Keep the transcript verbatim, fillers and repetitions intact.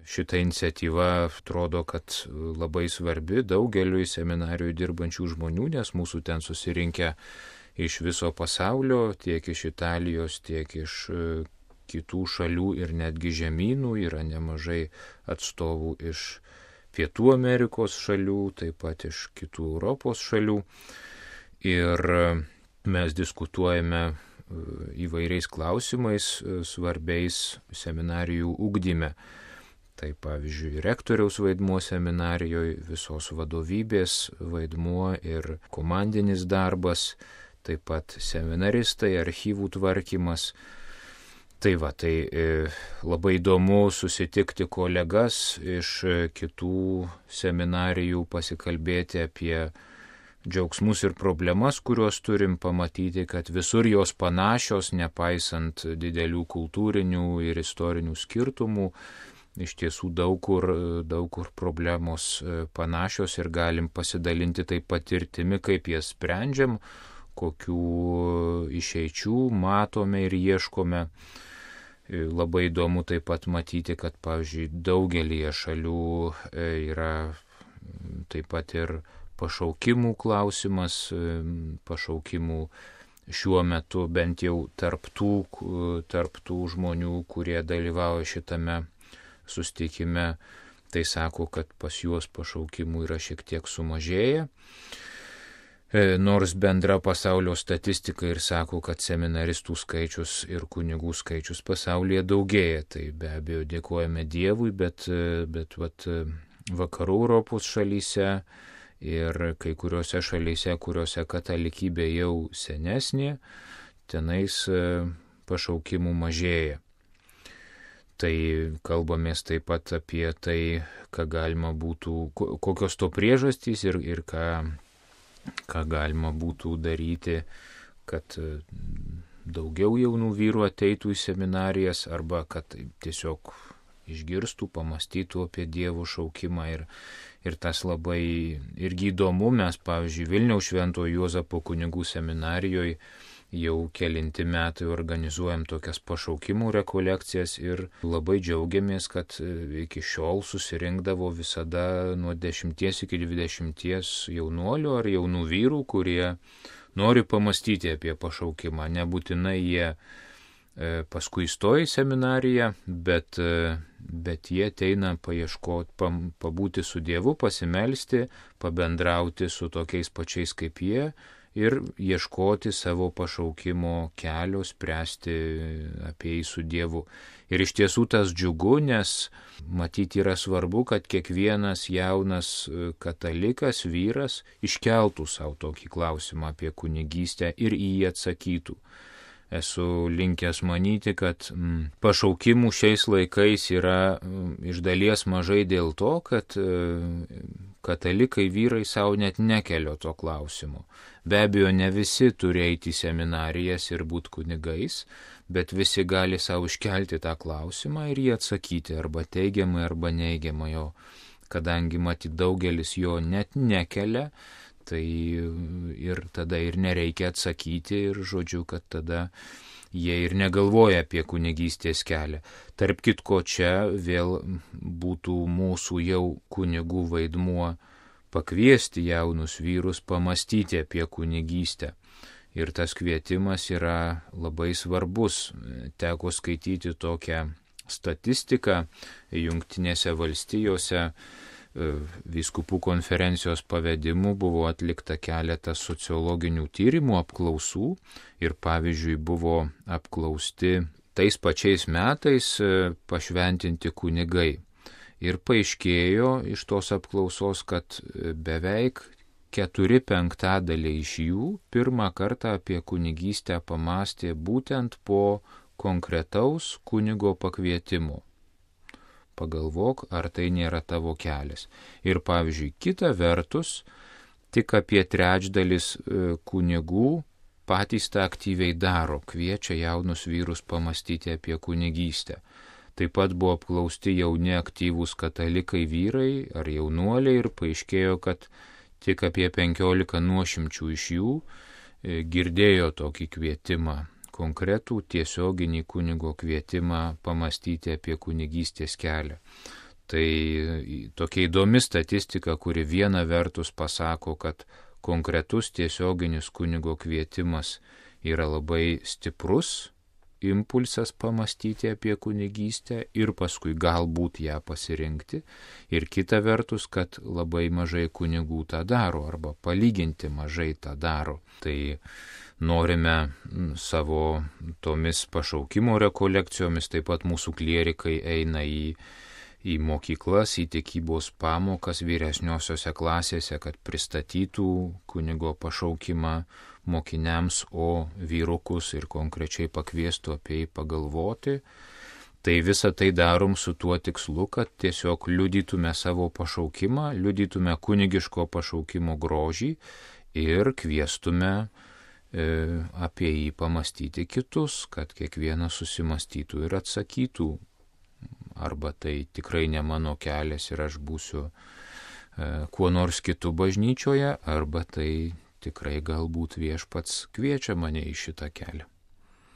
šita iniciatyva atrodo, kad labai svarbi daugeliui seminarijų dirbančių žmonių, nes mūsų ten susirinkę iš viso pasaulio, tiek iš Italijos, tiek iš kitų šalių ir netgi žemynų, yra nemažai atstovų iš Pietų Amerikos šalių, taip pat iš kitų Europos šalių. Ir mes diskutuojame įvairiais klausimais svarbiais seminarijų ugdyme. Tai pavyzdžiui, rektoriaus vaidmuo seminarijoje, visos vadovybės vaidmuo ir komandinis darbas, taip pat seminaristai, archyvų tvarkymas. Tai va, tai labai įdomu susitikti kolegas iš kitų seminarijų, pasikalbėti apie džiaugsmus ir problemas, kuriuos turim, pamatyti, kad visur jos panašios, nepaisant didelių kultūrinių ir istorinių skirtumų. Iš tiesų daug kur, daug kur problemos panašios ir galim pasidalinti taip patirtimi, kaip jas sprendžiam, kokių išeičių matome ir ieškome. Labai įdomu taip pat matyti, kad, pavyzdžiui, daugelįje šalių yra taip pat ir pašaukimų klausimas, pašaukimų šiuo metu bent jau tarp tų, tarp tų žmonių, kurie dalyvauja šitame susitikime, tai sako, kad pas juos pašaukimų yra šiek tiek sumažėję. Nors bendra pasaulio statistika ir sako, kad seminaristų skaičius ir kunigų skaičius pasaulyje daugėja. Tai be abejo dėkojame Dievui, bet, bet vat, vakarų Europos šalyse ir kai kuriuose šalyse, kuriuose katalikybė jau senesnė, tenais pašaukimų mažėja. Tai kalbamės taip pat apie tai, ką galima būtų, kokios to priežastys ir, ir ką, ką galima būtų daryti, kad daugiau jaunų vyrų ateitų į seminarijas arba kad tiesiog išgirstų, pamastytų apie Dievo šaukimą ir, ir tas labai irgi įdomu. Mes, pavyzdžiui, Vilniaus Šventojo Juozapo kunigų seminarijoje jau kelinti metai organizuojam tokias pašaukimų rekolekcijas ir labai džiaugiamės, kad iki šiol susirinkdavo visada nuo dešimties iki dvidešimties jaunuolių ar jaunų vyrų, kurie nori pamastyti apie pašaukimą. Nebūtinai jie paskui įstoja į seminariją, bet, bet jie ateina paieškoti, pabūti su Dievu, pasimelsti, pabendrauti su tokiais pačiais kaip jie ir ieškoti savo pašaukimo kelio, spręsti apie jį su Dievu. Ir iš tiesų tas džiugu, nes matyti yra svarbu, kad kiekvienas jaunas katalikas, vyras iškeltų savo tokį klausimą apie kunigystę ir į jį atsakytų. Esu linkęs manyti, kad mm, pašaukimų šiais laikais yra mm, iš dalies mažai dėl to, kad e, katalikai vyrai savo net nekelio to klausimo. Be abejo, ne visi turi eiti į seminarijas ir būti kunigais, bet visi gali savo iškelti tą klausimą ir jį atsakyti arba teigiamai, arba neigiamai. O kadangi matyt daugelis jo net nekelia, tai ir tada ir nereikia atsakyti ir žodžiu, kad tada jie ir negalvoja apie kunigystės kelią. Tarp kitko, čia vėl būtų mūsų jau kunigų vaidmuo pakviesti jaunus vyrus pamastyti apie kunigystę. Ir tas kvietimas yra labai svarbus. Teko skaityti tokią statistiką Jungtinėse valstijose. Vyskupų konferencijos pavedimu buvo atlikta keletas sociologinių tyrimų, apklausų ir pavyzdžiui buvo apklausti tais pačiais metais pašventinti kunigai. Ir paaiškėjo iš tos apklausos, kad beveik keturi penktadaliai iš jų pirmą kartą apie kunigystę pamastė būtent po konkretaus kunigo pakvietimo. Pagalvok, ar tai nėra tavo kelias. Ir pavyzdžiui, kita vertus, tik apie trečdalis kunigų patys tą aktyviai daro, kviečia jaunus vyrus pamastyti apie kunigystę. Taip pat buvo apklausti jauni aktyvūs katalikai vyrai ar jaunuoliai ir paaiškėjo, kad tik apie penkiolika nuošimčių iš jų girdėjo tokį kvietimą, konkretų tiesioginį kunigo kvietimą pamastyti apie kunigystės kelią. Tai tokia įdomi statistika, kuri viena vertus pasako, kad konkretus tiesioginis kunigo kvietimas yra labai stiprus impulsas pamastyti apie kunigystę ir paskui galbūt ją pasirinkti. Ir kita vertus, kad labai mažai kunigų tą daro arba palyginti mažai tą daro. Tai norime savo tomis pašaukimo rekolekcijomis, taip pat mūsų klierikai eina į į mokyklas, į tikybos pamokas vyresniosiose klasėse, kad pristatytų kunigo pašaukimą mokiniams, o vyrukus ir konkrečiai pakviestų apie jį pagalvoti. Tai visą tai darom su tuo tikslu, kad tiesiog liudytume savo pašaukimą, liudytume kunigiško pašaukimo grožį ir kviestume e, apie jį pamastyti kitus, kad kiekvienas susimastytų ir atsakytų. Arba tai tikrai ne mano kelias ir aš būsiu e, kuo nors kitu bažnyčioje, arba tai tikrai galbūt viešpats kviečia mane į šitą kelią.